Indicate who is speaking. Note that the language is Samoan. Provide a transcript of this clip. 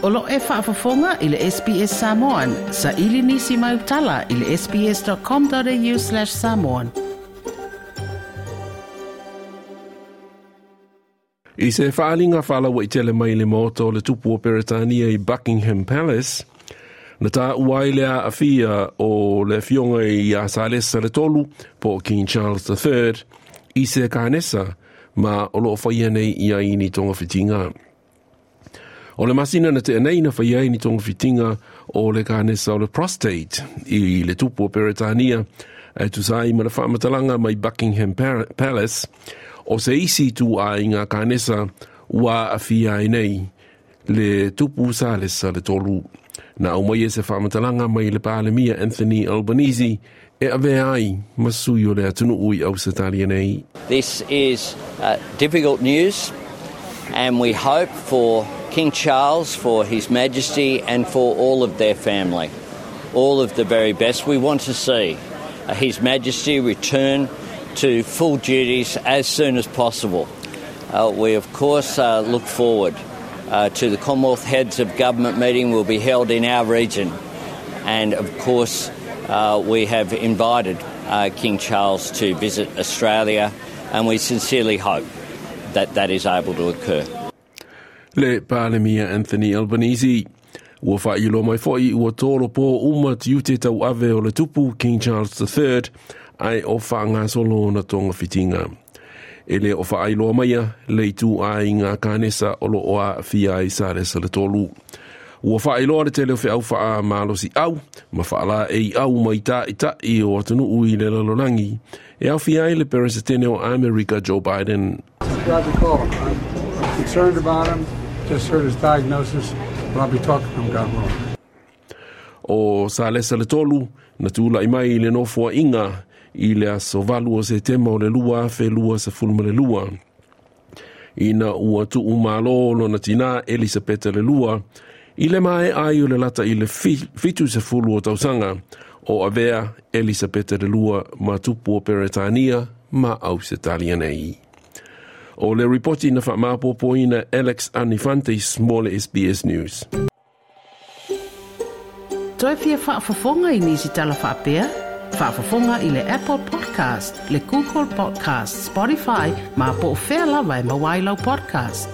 Speaker 1: O lo e faafofoga i le SBS Samoan. Saili nisi mai utala i le sbs.com.au/samoan.
Speaker 2: I se faaaliga faalauaitele mai le maota o le tupu o Peretania i Buckingham Palace, na taua ai le aafia o le afioga ia Salesa le Tolu po o King Charles III i se kanesa ma o lo o faia nei i ai ni togafitiga. O le masina na tea nei na faia ai ni togafitiga o le kanesa o le prostate i le tupu o Peretania e tusa ai ma le faamatalaga mai Buckingham Palace o se isi ituaiga kanesa ua aafia ai nei le tupu Salesa le Tolu. Na aumaia se faamatalaga mai le Palemia Anthony Albanese e avea ai ma sui o le atunuu i Ausetalia nei.
Speaker 3: This is difficult news and we hope for King Charles, for His Majesty and for all of their family. All of the very best. We want to see His Majesty return to full duties as soon as possible. We of course look forward to the Commonwealth Heads of Government meeting will be held in our region. And of course we have invited King Charles to visit Australia and we sincerely hope that that is able to occur.
Speaker 2: Le Palemia Anthony Albanese. Ua faailoa mai foi ua tolopo uma tiute tauave o le tupu King Charles III ae o faagasolo ona togafitiga. E le o faailoa maia le ituaiga kanesa o lo o aafia ai Salesa le Tolu. Ua faailoa le tele o feau faamalosiau ma faalaeiau mai taʻitaʻi o atunuu i le lalolagi e aofia ai le Peresetene o Amerika Joe Biden.
Speaker 4: Glad to call. I'm concerned about him. Just heard his diagnosis, but I'll be talking to him, God willing.
Speaker 2: O Salesa le Tolu na tulai mai i le nofoaiga i le aso 8 o Setema o le 2022 ina ua tuumalo lona tinā Elisapeta le Lua i le maea ai o le lata i le 70 o tausaga o avea Elisapeta le Lua ma tupu o Peretania ma Ausetalia nei. O le ripoti na faamaopoopoina Alex Anifantis mo le SBS News.
Speaker 1: Toe fia faafofoga i nisi tala faapea? Faafofoga i le Apple Podcast, le Google Podcast, Spotify, ma po o fea lava e maua ai lau podcast.